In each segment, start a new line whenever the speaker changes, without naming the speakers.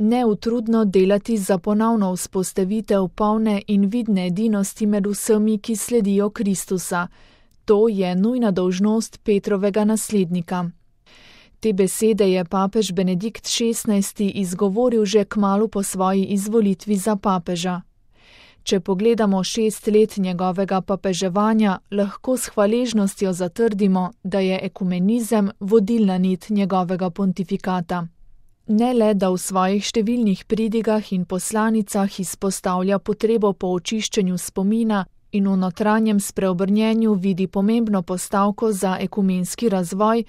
neutrudno delati za ponovno vzpostavitev polne in vidne edinosti med vsemi, ki sledijo Kristusa. To je nujna dolžnost Petrovega naslednika. Te besede je papež Benedikt XVI. Izgovoril že kmalu po svoji izvolitvi za papeža. Če pogledamo 6 let njegovega papeževanja, lahko s hvaležnostjo zatrdimo, da je ekumenizem vodilna nit njegovega pontifikata. Ne le, da v svojih številnih pridigah in poslanicah izpostavlja potrebo po očiščenju spomina in v notranjem spreobrnjenju vidi pomembno postavko za ekumenski razvoj,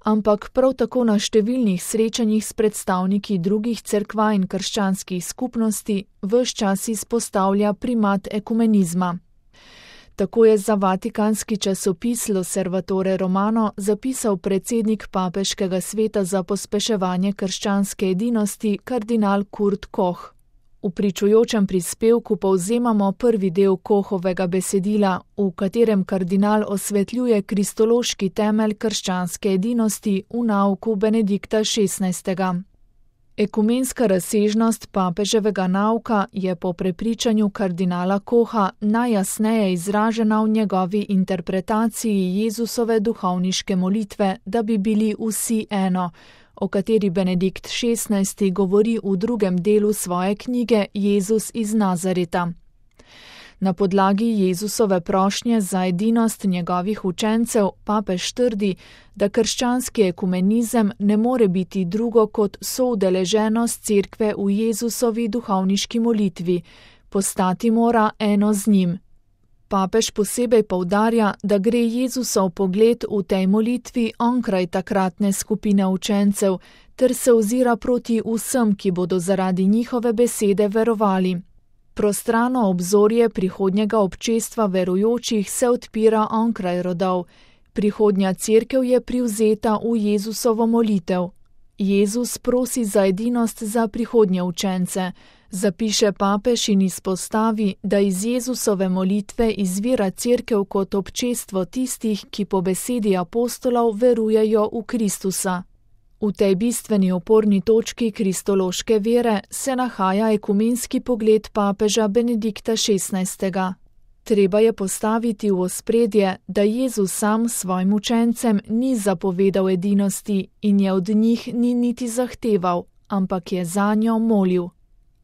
ampak prav tako na številnih srečanjih s predstavniki drugih cerkva in krščanskih skupnosti ves čas izpostavlja primat ekumenizma. Tako je za vatikanski časopis L'Osservatore Romano zapisal predsednik papeškega sveta za pospeševanje krščanske edinosti kardinal Kurt Koch. V pričujočem prispevku povzemamo prvi del Kochovega besedila, v katerem kardinal osvetljuje kristološki temelj krščanske edinosti v nauku Benedikta XVI. Ekumenska razsežnost papeževega nauka je po prepričanju kardinala Kocha najjasneje izražena v njegovi interpretaciji Jezusove duhovniške molitve, da bi bili vsi eno, o kateri Benedikt XVI. Govori v drugem delu svoje knjige Jezus iz Nazareta. Na podlagi Jezusove prošnje za edinost njegovih učencev papež trdi, da krščanski ekumenizem ne more biti drugo kot soudeleženost cerkve v Jezusovi duhovniški molitvi, postati mora eno z njim. Papež posebej poudarja, da gre Jezusov pogled v tej molitvi onkraj takratne skupine učencev, ter se ozira proti vsem, ki bodo zaradi njihove besede verovali. Prostrano obzorje prihodnjega občestva verujočih se odpira onkraj rodov. Prihodnja cerkev je privzeta v Jezusovo molitev. Jezus prosi za edinost za prihodnje učence. Zapiše papež in izpostavi, da iz Jezusove molitve izvira cerkev kot občestvo tistih, ki po besedi apostolov verujejo v Kristusa. V tej bistveni oporni točki kristološke vere se nahaja ekumenski pogled papeža Benedikta XVI. Treba je postaviti v ospredje, da Jezus sam svojim učencem ni zapovedal edinosti in je od njih ni niti zahteval, ampak je zanjo molil.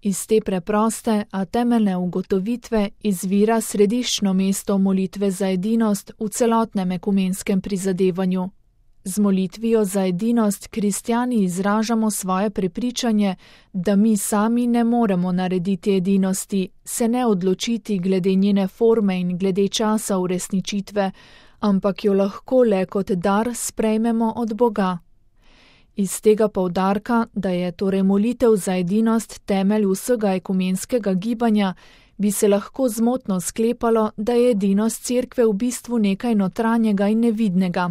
Iz te preproste, a temeljne ugotovitve izvira središčno mesto molitve za edinost v celotnem ekumenskem prizadevanju. Z molitvijo za edinost kristjani izražamo svoje prepričanje, da mi sami ne moremo narediti edinosti, se ne odločiti glede njene forme in glede časa uresničitve, ampak jo lahko le kot dar sprejmemo od Boga. Iz tega poudarka, da je torej molitev za edinost temelj vsega ekumenskega gibanja, bi se lahko zmotno sklepalo, da je edinost cerkve v bistvu nekaj notranjega in nevidnega.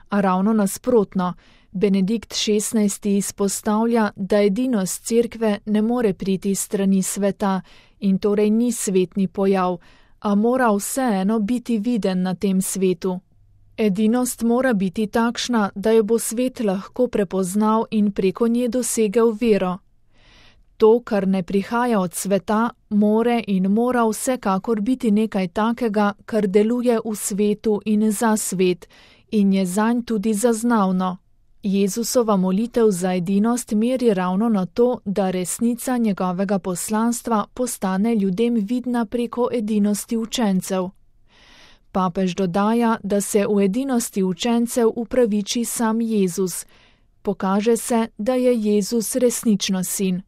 A ravno nasprotno, Benedikt XVI. Izpostavlja, da edinost cerkve ne more priti iz strani sveta in torej ni svetni pojav, a mora vseeno biti viden na tem svetu. Edinost mora biti takšna, da jo bo svet lahko prepoznal in preko nje dosegel vero. To, kar ne prihaja od sveta, mora vsekakor biti nekaj takega, kar deluje v svetu in za svet, in je zanj tudi zaznavno. Jezusova molitev za edinost meri ravno na to, da resnica njegovega poslanstva postane ljudem vidna preko edinosti učencev. Papež dodaja, da se v edinosti učencev upraviči sam Jezus. Pokaže se, da je Jezus resnično sin.